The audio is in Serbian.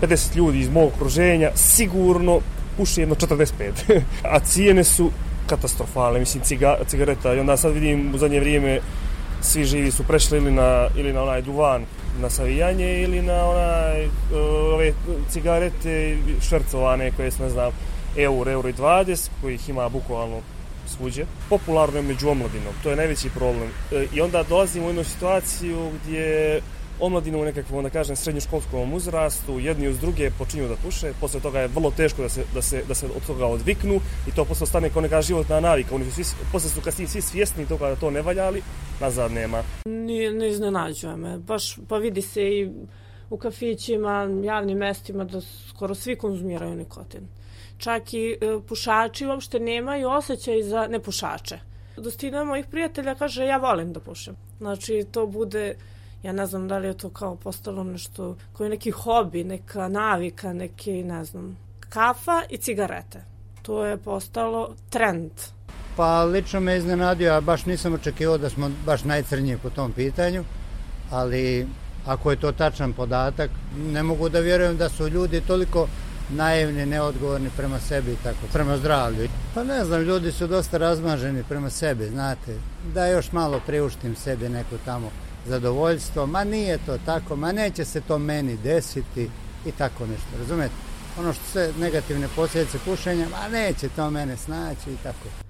50 ljudi iz mog okruženja sigurno puši jedno 45. A cijene su katastrofalne, mislim cigareta. I onda sad vidim u zadnje vrijeme svi živi su prešli ili na onaj duvan na savijanje ili na ove cigarete švercovane koje su, ne znam, euro i 20, kojih ima bukvalno svuđe. Popularno je među omladinom, to je najveći problem. I onda dolazimo u jednu situaciju gdje omladinu u nekakvom, da kažem, srednjoškolskom uzrastu, jedni uz druge počinju da puše, posle toga je vrlo teško da se od toga odviknu i to posle stane kao neka životna navika. Posle su kasnije svi svjesni toga da to ne valja, ali nazad nema. Ne iznenađuje me, baš pa vidi se i u kafićima, javnim mestima da skoro svi konzumiraju nikotin. Čak i pušači uopšte nemaju osjećaj za nepušače. Dostina mojih prijatelja kaže ja volim da pušem. Znači to bude, ja ne znam da li je to kao postalo nešto, koji neki hobi, neka navika, neki, ne znam, kafa i cigarete. To je postalo trend. Pa lično me iznenadio, a baš nisam očekivao da smo baš najcrniji po tom pitanju, ali ako je to tačan podatak, ne mogu da vjerujem da su ljudi toliko naivni, neodgovorni prema sebi i tako, prema zdravlju. Pa ne znam, ljudi su dosta razmaženi prema sebi, znate, da još malo priuštim sebi neko tamo zadovoljstvo, ma nije to tako, ma neće se to meni desiti i tako nešto, razumete? Ono što sve negativne posljedice pušenja, ma neće to mene snaći i tako.